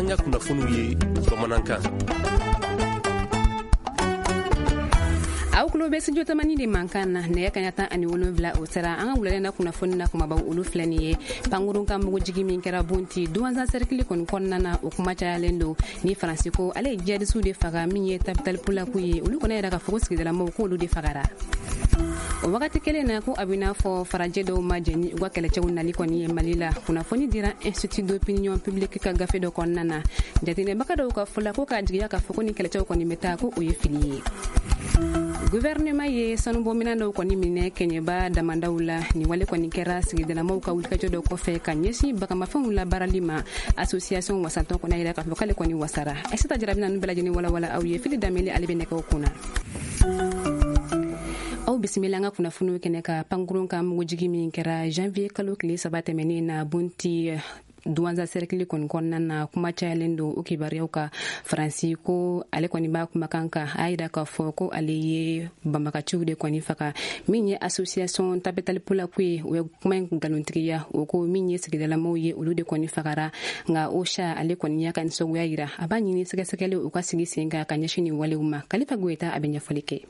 Y'an ka kunnafoniw ye bamanankan. Aw tulo bɛ Studio Tamani de mankan na. Nɛgɛ kaɲa 17, o sera. An ka wulada na kunnafoni na, kumabaw olu filɛ nin ye: pankurun ka mugujigi min kɛra Bunti, Duwanza sɛrikili kɔni kɔnɔna na, o kuma cayalen don. Ni Faransi ko ale ye jihadisiw de faga, min ye Tabital Pulaku ye, olu kɔni yɛrɛ ka fɔ ko sigidalamɔgɔw k'olu de fagara. O wagati kelen na, ko a bɛ n'a fɔ farajɛ dɔw ma jɛn ni u ka kɛlɛcɛw nali kɔni ye Mali la. Kunnafoni dira Institut d'opinion publique ka gafe dɔ kɔnɔna na. Jateminɛbaga dɔw ka fɔ la, ko k'a jigiya k'a fɔ ko ni kɛlɛcɛw kɔni bɛ taa, ko o ye fili ye. Gouvernement ye sanubɔminɛn dɔw kɔni minɛ Kɛɲɛba damandaw la. Nin wale kɔni kɛra sigidalamɔgɔw ka wulikajɔ dɔ kɔfɛ ka ɲɛsin bagamafɛnw labaarali ma. Association wasatɔn kɔni yira k'a fɔ k'ale kɔni wasara. Aïssata Jara bɛna ninnu bɛɛ lajɛlen walawala aw ye. Fili Danbele, ale bɛ nɛgɛw kunna. Aw bisimila an ka kunnafoniw kɛnɛ ka. Pankurun ka mugujigi min kɛra janvier kalo tile 3 tɛmɛnen na Bunti, Duwanza sɛrikili kɔni kɔnɔna na, kuma cayalen don o kibaruyaw ka. Faransi ko ale kɔni b'a kumakan kan, a yira k'a fɔ ko ale ye banbagaciw de kɔni faga. Min ye association Tabital Pulaku ye, o ye kuma in nkalontigiya. O ko min ye sigidalamaw ye, olu de kɔni fagara. Nka OCHA, ale kɔni y'a ka nisɔngoya yira, a b'a ɲini sɛgɛsɛgɛli u ka sigi sen kan ka ɲɛsin nin walew ma. Kalifa Goyita, a bɛ ɲɛfɔli kɛ.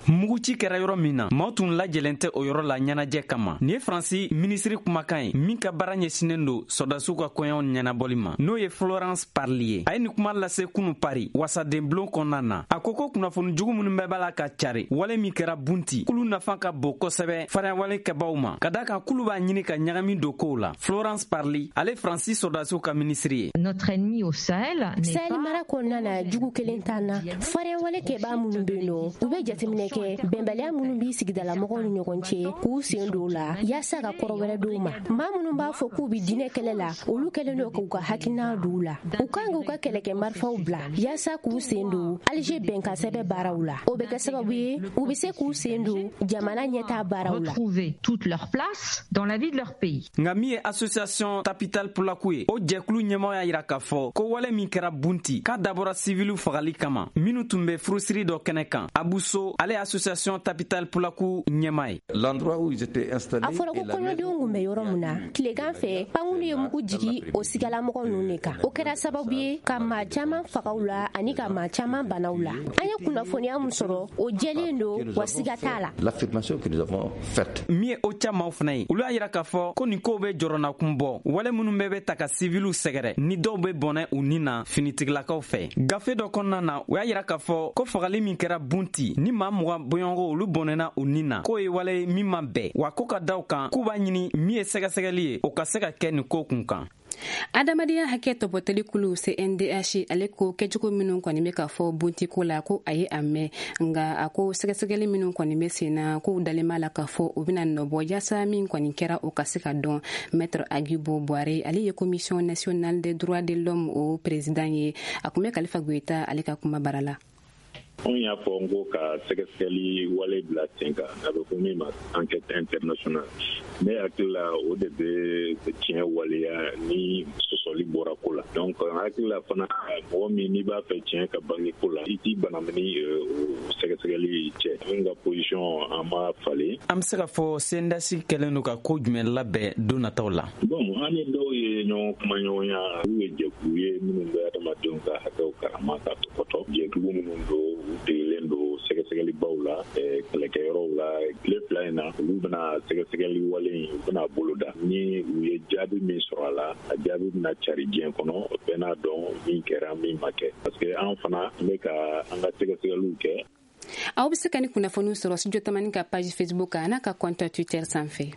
Muguci kɛra yɔrɔ min na, maaw tun lajɛlen tɛ o yɔrɔ la ɲɛnajɛ kama. Nin ye Faransi minisiri kumakan ye min ka baara ɲɛsinnen don sɔrɔdasiw ka kɔɲɔw ɲɛnabɔli ma, n'o ye Florence Parly ye. A ye nin kuma lase kunu Paris wasadenbulon kɔnɔna na. A ko ko kunnafoni jugu minnu bɛɛ b'a la ka cari wale min kɛra Bunti, k'olu nafa ka bon kosɛbɛ farinyawale kɛbaw ma, ka da kan k'olu b'a ɲini ka ɲagami don kow la. Florence Parly, ale Faransi sɔrɔdasiw ka minisiri ye. Notre ennemi au Sahel. Sahel mara kɔnɔna na, jugu kelen t'an na. Farinyawale kɛbaa minnu bɛ yen nɔ, u bɛ jateminɛ kɛ bɛnbaliya minnu b'i sigidalamɔgɔw ni ɲɔgɔn cɛ, k'u sen don la yaasa ka kɔrɔ wɛrɛ d'u ma. Maa minnu b'a fɔ k'u bɛ diinɛ kɛlɛ la, olu kɛlen don k'u ka hakilina don u la. U kan k'u ka kɛlɛkɛ marifaw bila yaasa k'u sen don Alger bɛnkan sɛbɛn baaraw la. O bɛ kɛ sababu ye u bɛ se k'u sen don jamana ɲɛtaa baaraw la. Retrouver toute leur place dans la vie de leur pays. Nka min ye association Tabital Pulaku ye, o jɛkulu ɲɛmaw y'a yira k'a fɔ ko wale min kɛra Bunti, k'a dabɔra siviliw fagali kama minnu tun bɛ furusiri dɔ kɛnɛ kan. Abuso, ale ye association Tabital Pulaku ɲɛma ye. L'endroit où ils étaient installés. A fɔra ko kɔɲɔdenw kun bɛ yɔrɔ min na tilegan fɛ, pankulu ye mugu jigi o sigalamɔgɔ ninnu de kan. O kɛra sababu ye ka maa caman fagaw la ani ka maa caman banaw la. An ye kunnafoniya min sɔrɔ, o jɛlen don wa siga t'a la. L'affirmation que nous avons faite. Min ye OCHA maaw fana ye, olu y'a yira k'a fɔ ko nin kow bɛ jɔrɔnakun bɔ, wale minnu bɛɛ bɛ ta ka siviliw sɛgɛrɛ ni dɔw bɛ bɔnɛ u ni na finitigilakaw fɛ. Gafe dɔ kɔnɔna na, u y'a yira k'a fɔ ko fagali min kɛra Bunti ni maa 20 bɔɲɔgɔnko olu bɔnɛna u ni na, k'o ye wale min ma bɛn, wa ko ka da kan k'u b'a ɲini min ye sɛgɛsɛgɛli ye, o ka se ka kɛ nin ko kun kan. Adamadenya hakɛ tɔpɔtɔli kulu CNDH, ale ko kɛcogo minnu kɔni bɛ ka fɔ Buntiko la, ko a ye a mɛn, nka a ko sɛgɛsɛgɛli minnu kɔni bɛ sen na, k'u dalen b'a la k'a fɔ u bɛna nɔbɔ yaasa min kɔni kɛra, o ka se ka dɔn. Maître Aguibou Bouaré, ale ye Commission nationale des droits de l'homme o président ye. A tun bɛ Kalifa Goyita ale ka kuma bara la. Anw y'a fɔ n ko ka sɛgɛsɛgɛli wale bila sen kan, a bɛ fɔ min ma enquête internationale. Ne hakili la, o de bɛ tiɲɛ waleya ni sɔsɔli bɔra ko la. Donc n hakili la fana, mɔgɔ min n'i b'a fɛ tiɲɛ ka bange ko la, i t'i banamini o sɛgɛsɛgɛli cɛ. Anw ka position, an ma falen. An bɛ se ka fɔ CNDH kɛlen don ka ko jumɛn labɛn don nataw la? Bon, an ni dɔw ye ɲɔgɔn kuma ɲɔgɔnya. Olu ye jɛkulu ye minnu bɛ adamadenw ka hakɛw karama ka tɔpɔtɔ. Jɛkulu minnu don, u degelen don sɛgɛsɛgɛlibaw la kɛlɛkɛyɔrɔw la. Tile 2 in na, olu bɛna sɛgɛsɛgɛli wale in, u bɛna boloda. Ni u ye jaabi min sɔrɔ a la, a jaabi bɛna cari diɲɛ kɔnɔ, bɛɛ n'a dɔn min kɛra, min ma kɛ, parce que an fana bɛ ka an ka sɛgɛsɛgɛliw kɛ. Aw bɛ se ka ni kunnafoniw sɔrɔ Studio Tamani ka page Facebook kan, n'a ka compte Twitter sanfɛ.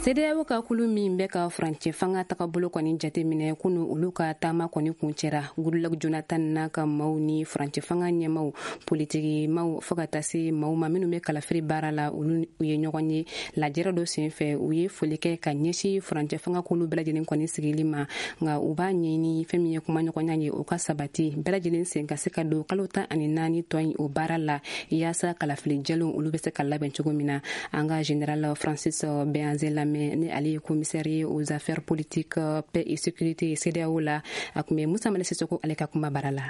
CEDEAO ka kulu min bɛ ka furancɛ fanga tagabolo kɔni jateminɛ, kunu olu ka taama kɔni kuncɛra. Goodluck Jonathan n'a ka maaw ni furancɛ fanga ɲɛmaw, politiki maaw, fo ka taa se maaw ma minnu bɛ kalafili baara la, olu ye ɲɔgɔn ye lajɛrɛ dɔ senfɛ. U ye foli kɛ ka ɲɛsin furancɛ fanga kulu bɛɛ lajɛlen kɔni sigili ma, nka u b'a ɲini fɛn min ye kumaɲɔgɔnya ye, o ka sabati, bɛɛ lajɛlen sen ka se ka don kalo 14 tɔ in o baara la, yaasa kalafili jɛlenw olu bɛ se ka labɛn cogo min na. An ka général Francis Béhanzin lamɛn, ni ale ye commissaire ye aux affaires politiques, paix et sécurité CEDEAO la. A tun bɛ Musa Mali Sisoko ale ka kuma bara la.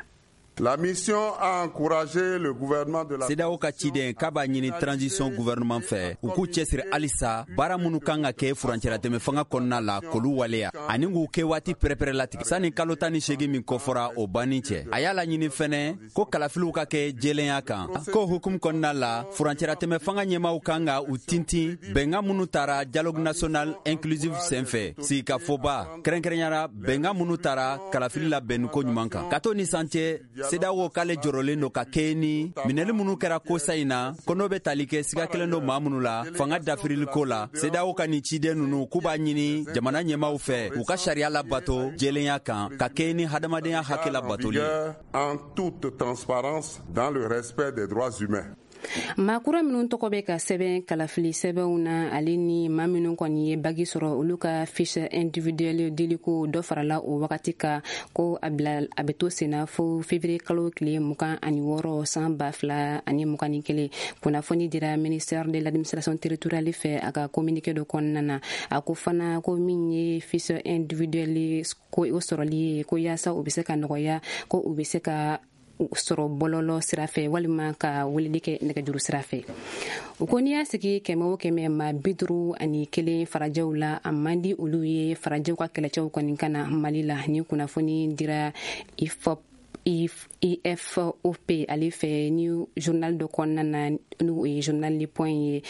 La mission a encouragé le gouvernement de la CEDEAO ka ciden k'a b'a ɲini transition gouvernement fɛ, u k'u cɛsiri halisa, baara minnu kan ka kɛ furancɛlatɛmɛ fanga kɔnɔna la, k'olu waleya ani k'u kɛ waati pɛrɛpɛrɛ latigɛ sanni kalo 18 min kɔfɔra, o banni cɛ. A y'a laɲini fɛnɛ ko kalafiliw ka kɛ jɛlenya kan, ko hukumu kɔnɔna la, furancɛlatɛmɛ fanga ɲɛmaw kan ka u tintin bɛnkan minnu tara dialogue national inclusif senfɛ, sigikafɔba kɛrɛnkɛrɛnyara, bɛnkan minnu tara kalafili labɛnniko ɲuman kan. Ka to ni san cɛ, CEDEAO k'ale jɔrɔlen don ka kɛɲɛ ni minɛli minnu kɛra kosa in na, ko n'o bɛ tali kɛ siga kelen don maa minnu la fanga dafiriliko la. CEDEAO ka nin ciden ninnu k'u b'a ɲini jamana ɲɛmaw fɛ, u ka sariya labato jɛlenya kan, ka kɛɲɛ ni hadamadenya hakɛ labatoli ye. En toute transparence, dans le respect des droits humains. Maa kura minnu tɔgɔ bɛ ka sɛbɛn kalafili sɛbɛnw na, ale ni maa minnu kɔni ye bagi sɔrɔ, olu ka fiche individuelle diliko dɔ farala o wagati kan, ko a bila a bɛ to senna fo février kalo tile 26 san 2021. Kunnafoni dira ministère de l'Administration territoriale fɛ a ka communiqué dɔ kɔnɔna na. A ko fana ko min ye fiche individuelle ko o sɔrɔli ye, ko yaasa o bɛ se ka nɔgɔya, ko u bɛ se ka sɔrɔ bɔlɔlɔ sira fɛ walima ka weleli kɛ nɛgɛjuru sira fɛ. U ko n'i y'a sigi 100 o 100, maa 51 farajɛw la, a man di olu ye farajɛw ka kɛlɛcɛw kɔni ka na Mali la. Ni kunnafoni dira IFOP ale fɛ ni journal dɔ kɔnɔna na, n'o ye journal Le Point ye.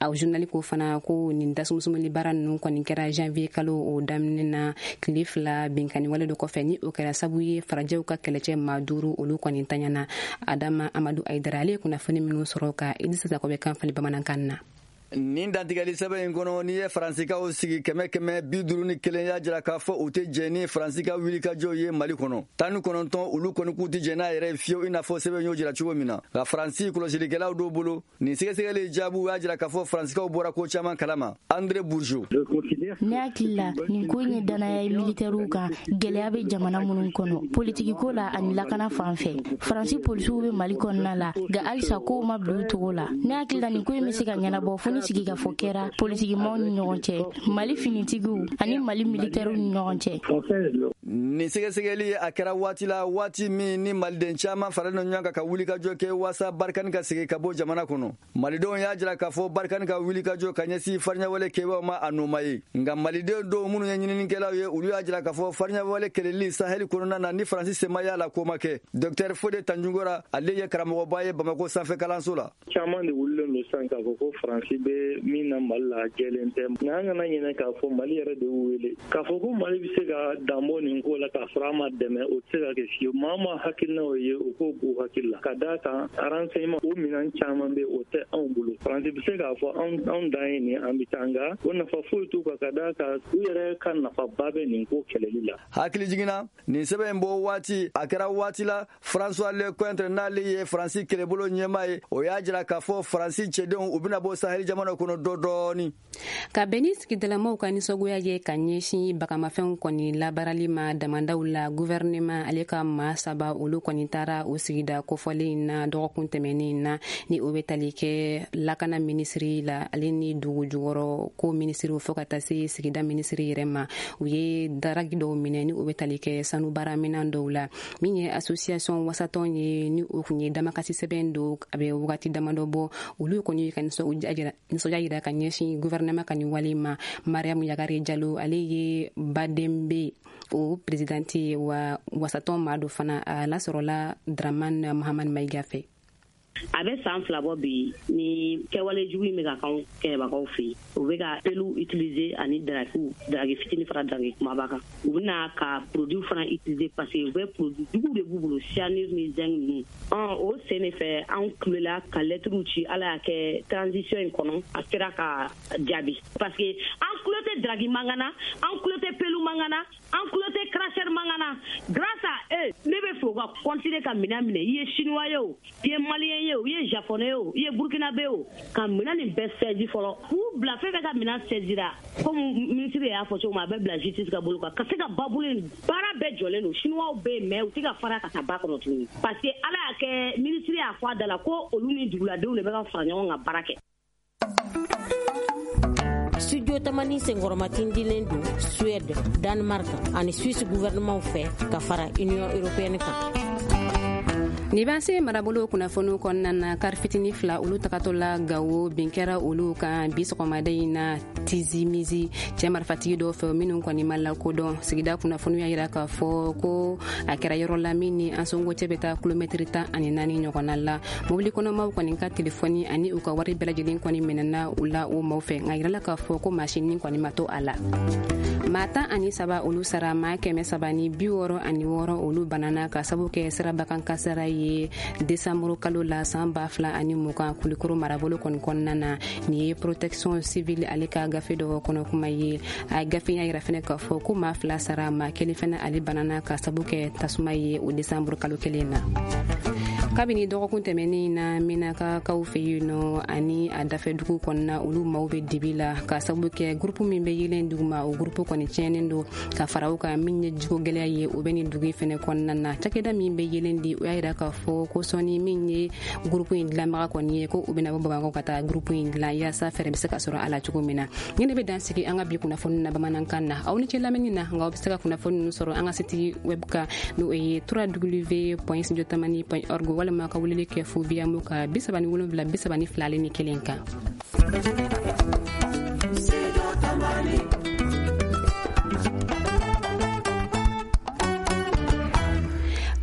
A journal ko fana ko nin dasumusumuli baara ninnu kɔni kɛra janvier kalo o daminɛ na, tile 2 binkanni wale dɔ kɔfɛ, ni o kɛra sabu ye farajɛw ka kɛlɛcɛ maa 5 olu kɔni taɲana. Adama Amadu Ayidara, ale ye kunnafoni minnu sɔrɔ ka Idrissa Sakɔ bɛ kan fali bamanankan na. Nin dantigɛli sɛbɛn in kɔnɔ, n'i ye Faransikaw sigi 100 100, 51 y'a jira k'a fɔ u tɛ jɛn ni Faransi ka wulikajɔw ye Mali kɔnɔ. 19, olu kɔni k'u tɛ jɛn n'a yɛrɛ ye fiyewu, i n'a fɔ sɛbɛn y'o jira cogo min na. Nka Faransi kɔlɔsilikɛlaw dɔw bolo, nin sɛgɛsɛgɛli jaabiw y'a jira k'a fɔ Faransikaw bɔra ko caman kalama. André Bourgeot. Ne hakili la, nin ko in ye danaya ye militɛriw kan, gɛlɛya bɛ jamana minnu kɔnɔ politikiko la ani lakana fan fɛ. Faransi polisiw bɛ Mali kɔnɔna la, nka halisa kow ma bila u cogo la. Ne hakili la, nin ko in bɛ se ka ɲɛnabɔ fo ni sigikafɔ kɛra politikimaw ni ɲɔgɔn cɛ, Mali finitigiw ani Mali militɛriw ni ɲɔgɔn cɛ. Nin sɛgɛsɛgɛli a kɛra waati la, waati min ni maliden caman faralen ɲɔgɔn kan ka wulikajɔ kɛ waasa Barikani ka segin ka bɔ jamana kɔnɔ. Malidenw y'a jira k'a fɔ Barikani ka wulikajɔ ka ɲɛsin fariɲawale kɛbaaw ma, a noma ye. Nka maliden dɔw minnu ye ɲininikɛlaw ye, olu y'a jira k'a fɔ fariɲawale kɛlɛli Saheli kɔnɔna na, ni Faransi sema y'a la, ko ma kɛ. Docteur Fode Tanjugora, ale ye karamɔgɔba ye Bamakɔ sanfɛ kalanso la. Caman de wulilen don sisan k'a fɔ ko Faransi bɛ min na Mali la, jɛlen tɛ. Nka an kana ɲinɛ k'a fɔ Mali yɛrɛ de y'u wele k'a fɔ ko Mali bɛ se ka danbɔ nin ko la k'a sɔrɔ a ma dɛmɛ, o tɛ se ka kɛ fiyewu. Maa o maa hakilinaw ye, o k'o b'u hakili la, ka d'a kan renseignement o minɛn caman bɛ, o tɛ anw bolo. Faransi bɛ se k'a fɔ anw dan ye nin, an bɛ taa, nka o nafa foyi t'u kan, ka d'a kan u yɛrɛ ka nafaba bɛ nin ko kɛlɛli la. Hakili jiginna nin sɛbɛn in bɔ waati, a kɛra waati la François Lecointre, n'ale ye Faransi kɛlɛbolo ɲɛmaa ye, o y'a jira k'a fɔ Faransi cɛdenw, u bɛna bɔ Sahel jamana kɔnɔ dɔ dɔɔni. Ka bɛn ni sigidalamaw ka nisɔngoya ye ka ɲɛsin bagamafɛnw kɔni labaarali ma damandaw la, gouvernement ale ka maa 3 olu kɔni taara o sigida kofɔlen in na dɔgɔkun tɛmɛnen in na, ni o bɛ tali kɛ lakana minisiri la, ale ni dugu jukɔrɔ ko minisiriw, fo ka taa se sigida minisiri yɛrɛ ma. U ye daragi dɔw minɛ, ni o bɛ tali kɛ sanu baaraminan dɔw la. Min ye association wasatɔn ye, ni o kun ye damakasi sɛbɛn don a bɛ wagati damadɔ bɔ, olu kɔni ka nisɔndiya yira ka ɲɛsin gouvernement ka nin wale ma. Mariam Yagare Jalo, ale ye Badenbe o présidente ye, wa wasatɔn maa dɔ fana. A lasɔrɔla Dramane Mahamad Maïga fɛ. A bɛ san 2 bɔ bi ni kɛwale jugu in bɛ ka k'anw kɛlɛbagaw fɛ yen. U bɛ ka pelu utiliser ani dragiw, dragi fitinin fara dragi kumaba kan. U bɛna ka produit fana utiliser parce que u bɛ produit juguw de b'u bolo, cyanure ni zinc ninnu. O sen de fɛ anw kulela ka lettre ci. Ala y'a kɛ transition in kɔnɔ, a sera ka jaabi, parce que an kulo tɛ dragi mankan na, an kulo tɛ pelu mankan na, an kulo tɛ cracheur mankan na. Grâce à eux, ne bɛ fɛ u ka continuer ka minɛn minɛ. I ye chinois ye o, i ye malien ye o, i ye japonais ye o, i ye burkinabé o, ka minɛn nin bɛɛ saisi fɔlɔ, k'u bila fɛn fɛn ka minɛn saisira, comme ministre y'a fɔ cogo min, a bɛ bila justice ka bolo kan, ka se ka babulu in baara bɛɛ jɔlen don. Chinois bɛ yen, mais u tɛ ka fara ka taa ba kɔnɔ tuguni, parce que Ala y'a kɛ ministre y'a fɔ a da la ko olu ni duguladenw de bɛ ka fara ɲɔgɔn kan baara kɛ. Studio Tamani senkɔrɔmatindilen don Suède, Danemark ani Suisse gouvernement fɛ ka fara Union européenne kan. Nin b'an se marabolo kunnafoniw kɔnɔna na. Kari fitini 2, olu tagatɔ la Gawo, bin kɛra olu kan bi sɔgɔmada in na Tizimizi, cɛɛ marifatigi dɔw fɛ minnu kɔni ma lakodɔn. Sigida kunnafoniw y'a yira k'a fɔ ko a kɛra yɔrɔ la min ni Ansongo cɛ bɛ taa kilomɛtiri 14 ɲɔgɔnna la. Mobili kɔnɔmaw kɔni ka telefɔni ani u ka wari bɛɛ lajɛlen kɔni minɛna u la o maaw fɛ, nka yirala k'a fɔ ko maa si ni kɔni ma to a la. Maa 13, olu sara, maa 366, olu banana ka sabu kɛ sirabakan kasara ye desanburu kalo la san 2020 Kulikoro marabolo kɔni kɔnɔna na. Nin ye Protection civile ale ka gafe dɔ kɔnɔ kuma ye. A gafe y'a yira fɛnɛ k'a fɔ ko maa 2 sara, maa 1 fɛnɛ ale banana ka sabu kɛ tasuma ye o desanburu kalo kelen na. Kabini dɔgɔkun tɛmɛnen na, Menakakaw fɛ yen nɔ ani a dafɛ dugu kɔnɔna, olu maaw bɛ dibi la ka sababu kɛ gurupu min bɛ yelen duguma, o gurupu kɔni tiɲɛnen don. Ka fara o kan, min ye jiko gɛlɛya ye, o bɛ nin dugu in fɛnɛ kɔnɔna na. Cakɛda min bɛ yelen di, o y'a yira k'a fɔ ko sɔnni min ye gurupu in dilanbaga kɔni ye, ko u bɛna bɔ Bamakɔ ka taa gurupu in dilan yaasa fɛɛrɛ bɛ se ka sɔrɔ a la cogo min na. Nin de bɛ dan sigi an ka bi kunnafoni na bamanankan na. Aw ni ce lamɛnni na, nka aw bɛ se ka kunnafoni ninnu sɔrɔ an ka site web kan, n'o ye www.studiotamani.org, walima ka weleli kɛ 0 biyamu ka 37 32 1 kan.